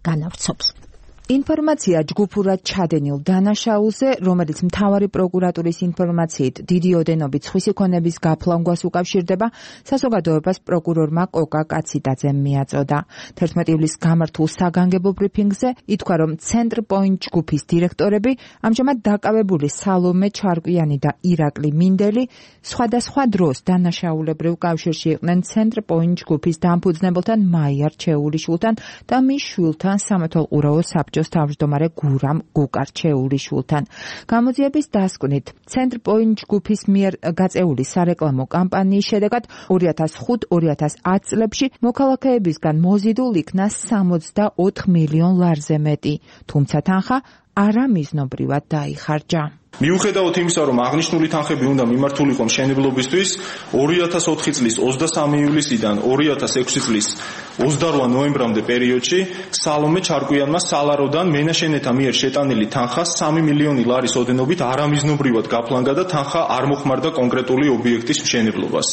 განავრცობს. ინფორმაცია ჯგუფურად ჩადენილ დანაშაულზე, რომელიც მთავარი პროკურატურის ინფორმაციით დიდი ოდენობით სხვისი ქონების გაფლანგვას უკავშირდება, საზოგადოებას პროკურორმა კოკა კაციდაძემ მიაწოდა. 11 ივლისს გამართულ საგანგებო ბრიფინგზე ითქვა, რომ ცენტრ პოინტ ჯგუფის დირექტორები ამჟამად დაკავებული სალომე ჩარკვიანი და ირაკლი მინდელი სხვადასხვა დროს დანაშაულებრივ კავშირში იყვნენ ცენტრ პოინტ ჯგუფის დამფუძნებელთან მაია რჩეულიშვილთან და მის შვილთან სამეთვალყურეო საბჭოს თავმჯდომარე გურამ გუკარჩეულიშვილთან. გამოძიების დასკვნით, ცენტრ პოინტ ჯგუფის მიერ გაწეული სარეკლამო კამპანიის შედეგად 2005-2010 წლებში მოქალაქეებისგან მოზიდულ იქნა 64 მილიონ ლარზე მეტი, თუმცა თანხა არამიზნობრივად დაიხარჯა. მიუხედავად იმისა, რომ აღნიშნული თანხები უნდა მიმართულიყო მშენებლობისთვის, 2004 წლის 23 ივლისიდან 2006 წლის 28 ნოემბრამდე პერიოდში სალომე ჩარკვიანმა სალაროდან მენაშენეთა მიერ შეტანილი თანხა 3 მილიონი ლარის ოდენობით არამიზნობრივად გაფლანგა და თანხა არ მოხმარდა კონკრეტული ობიექტის მშენებლობას.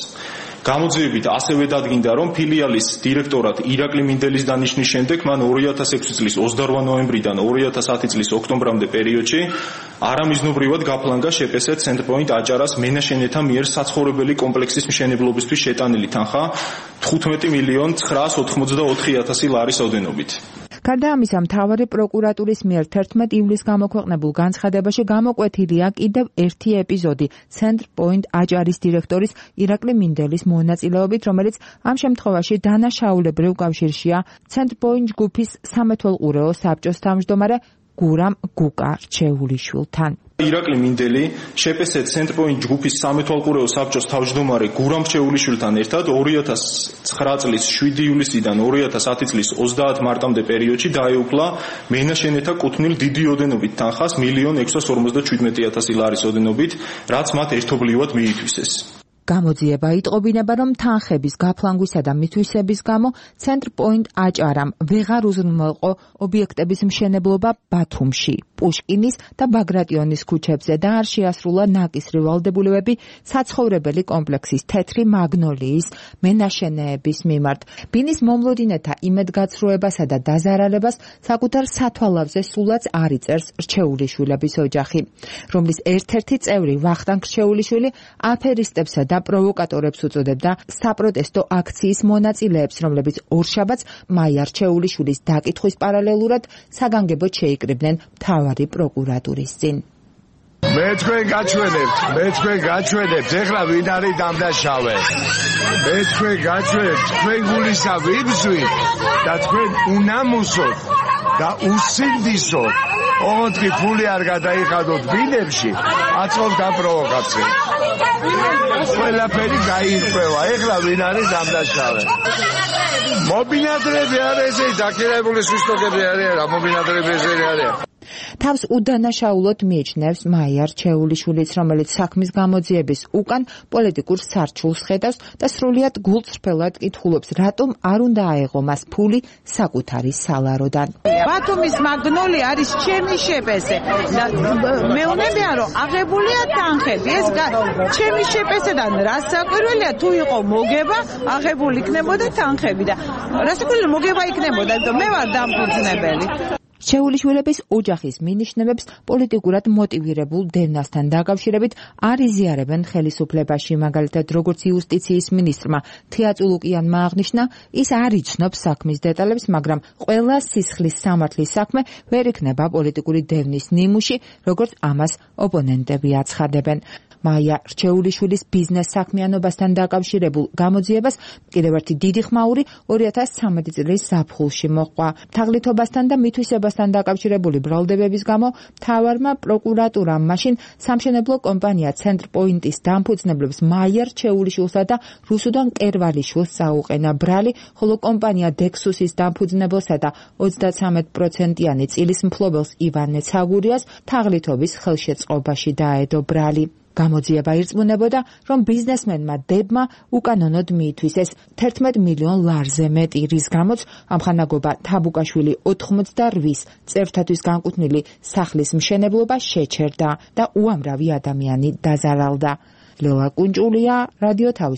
გამოძიებით ასევე დადგინდა, რომ ფილიალის დირექტორად ირაკლი მინდელის დანიშნვის შემდეგ მან 2006 წლის 28 ნოემბრიდან 2010 წლის ოქტომბრამდე პერიოდში არამიზნობრივად გაფლანგა შპს ცენტრ პოინტ აჭარას მენაშენეთა მიერ საცხოვრებელი კომპლექსის მშენებლობისთვის შეტანილი თანხა 15 მილიონ 984,000 ლარის ოდენობით. გარდა ამისა, მთავარი პროკურატურის მიერ 11 ივლისს გამოქვეყნებულ განცხადებაში გამოკვეთილია კიდევ ერთი ეპიზოდი ცენტრ პოინტ აჭარის დირექტორის ირაკლი მინდელის მონაწილეობით, რომელიც ამ შემთხვევაში დანაშაულებრივ კავშირშია ცენტრ პოინტ ჯგუფის სამეთვალყურეო საბჭოს თავმჯდომარე გურამ გუკარჩეულიშვილთან. ირაკლი მინდელი შპს ცენტრ პოინტ ჯგუფის სამეთვალყურეო საბჭოს თავმჯდომარე გურამ რჩეულიშვილთან ერთად 2009 წლის 7 ივლისიდან 2010 წლის 30 მარტამდე პერიოდში დაეუფლა მენაშენეთა კუთვნილ დიდი ოდენობით თანხას 1,657,000 ლარის ოდენობით, რაც მათ ერთობლივად მიითვისეს. გამოძიება იტყობინება, რომ თანხების გაფლანგვისა და მითვისების გამო ცენტრ პოინტ აჭარამ ვეღარ უზრუნველყო ობიექტების მშენებლობა ბათუმში, პუშკინის და ბაგრატიონის ქუჩებზე და არ შეასრულა ნაკისრი ვალდებულებები საცხოვრებელი კომპლექსის თეთრი მაგნოლიის მენაშენეების მიმართ. ბინის მომლოდინეთა იმედგაცრუებასა და დაზარალებას საკუთარ სათვალავზე სულაც არ იწერს რჩეულიშვილების ოჯახი, რომლის ერთ-ერთი წევრი ვახტანგ რჩეულიშვილი აფერისტებსა და პროვოკატორებს უწოდებდა საპროტესტო აქციის მონაწილეებს, რომლებიც ორშაბათს მაია რჩეულიშვილის დაკითხვის პარალელურად საგანგებოდ შეიკრიბნენ მთავარი პროკურატურის წინ. მე თქვენ გაჩვენებთ, ეხლა ვინ არის დამნაშავე? მე თქვენ გაჩვენებთ, თქვენ გულისა ვიბზვით და თქვენ უნამუსოთ და უსინდისოთ. ოღონდ ფული არ გადაიხადოთ ბინებში, აწევთ ამ პროვოკაციას. ყველაფერი გაირკვევა, ეხლა ვინ არის დამნაშავე? მობინადრები არის, დაქირავებული სვისტოკები არის, რა მობინადრები არის? თავს უდანაშაულოდ მიიჩნევს მაია რჩეულიშვილიც, რომელიც საქმის გამოძიების უკან პოლიტიკურ სარჩულს ხედავს და სრულიად გულწრფელად კითხულობს, რატომ არ უნდა აეღო მას ფული საკუთარი სალაროდან. ბათუმის მაგნოლი არის ჩემი შპსე. მეუბნებიან, რომ აღებულია თანხები. ეს ჩემი შპსედან რა საკვირველია, თუ იყო მოგება, აღებული იქნებოდა თანხები და რა საკვირველია მოგება იქნებოდა, მე ვარ დამფუძნებელი. რჩეულიშვილების ოჯახის მინიშნებებს პოლიტიკურად მოტივირებულ დევნასთან დაკავშირებით არ იზიარებენ ხელისუფლებაში, მაგალითად როგორც იუსტიციის მინისტრმა თეაწულუკიანმა აღნიშნა, ის არ იცნობს საქმის დეტალებს, მაგრამ ყველა სისხლის სამართლის საქმე ვერ იქნება პოლიტიკური დევნის ნიმუში, როგორც ამას ოპონენტები აცხადებენ. მაია რჩეულიშვილის ბიზნეს საქმიანობასთან დაკავშირებულ გამოძიებას კიდევ ერთი დიდი ხმაური 2013 წლის ზაფხულში მოჰყვა. თაღლითობასთან და მითვისებასთან დაკავშირებული ბრალდებების გამო მთავარმა პროკურატურამ მაშინ სამშენებლო კომპანია ცენტრ პოინტის დამფუძნებლებს მაია რჩეულიშვილსა და რუსუდან კერვალიშვილს წაუყენა ბრალი, ხოლო კომპანია დექსუსის დამფუძნებელსა და 33%-იანი წილის მფლობელს ივანე ცაგურიას თაღლითობის ხელშეწყობაში დაედო ბრალი. გამოძიება ირწმუნებოდა, რომ ბიზნესმენმა დებმა უკანონოდ მიითვისეს 11 მილიონ ლარზე მეტი, რის გამოც ამხანაგობა თაბუკაშვილი 88 წევრთათვის განკუთვნილი სახლის მშენებლობა შეჩერდა და უამრავი ადამიანი დაზარალდა. ლელა კუნჭულია, რადიო თავის